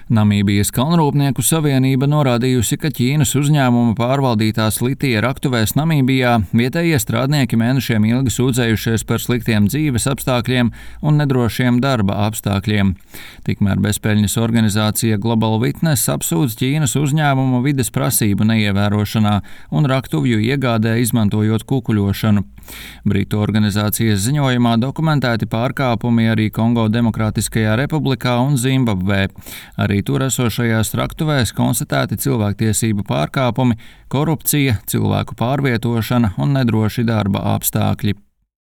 Namībijas kalnrūpnieku savienība norādījusi, ka Ķīnas uzņēmuma pārvaldītās litija raktuvēs Namībijā vietējie strādnieki mēnešiem ilgi sūdzējušies par sliktiem dzīves apstākļiem un nedrošiem darba apstākļiem. Tikmēr bezpeļņas organizācija Global Witness apsūdz Ķīnas uzņēmumu vides prasību neievērošanā un raktuvju iegādē izmantojot kukuļošanu. Britu organizācijas ziņojumā dokumentēti pārkāpumi arī Kongo Demokrātiskajā republikā un Zimbabvē. Arī tur esošajās raktuvēs konstatēti cilvēktiesību pārkāpumi, korupcija, cilvēku pārvietošana un nedroši darba apstākļi.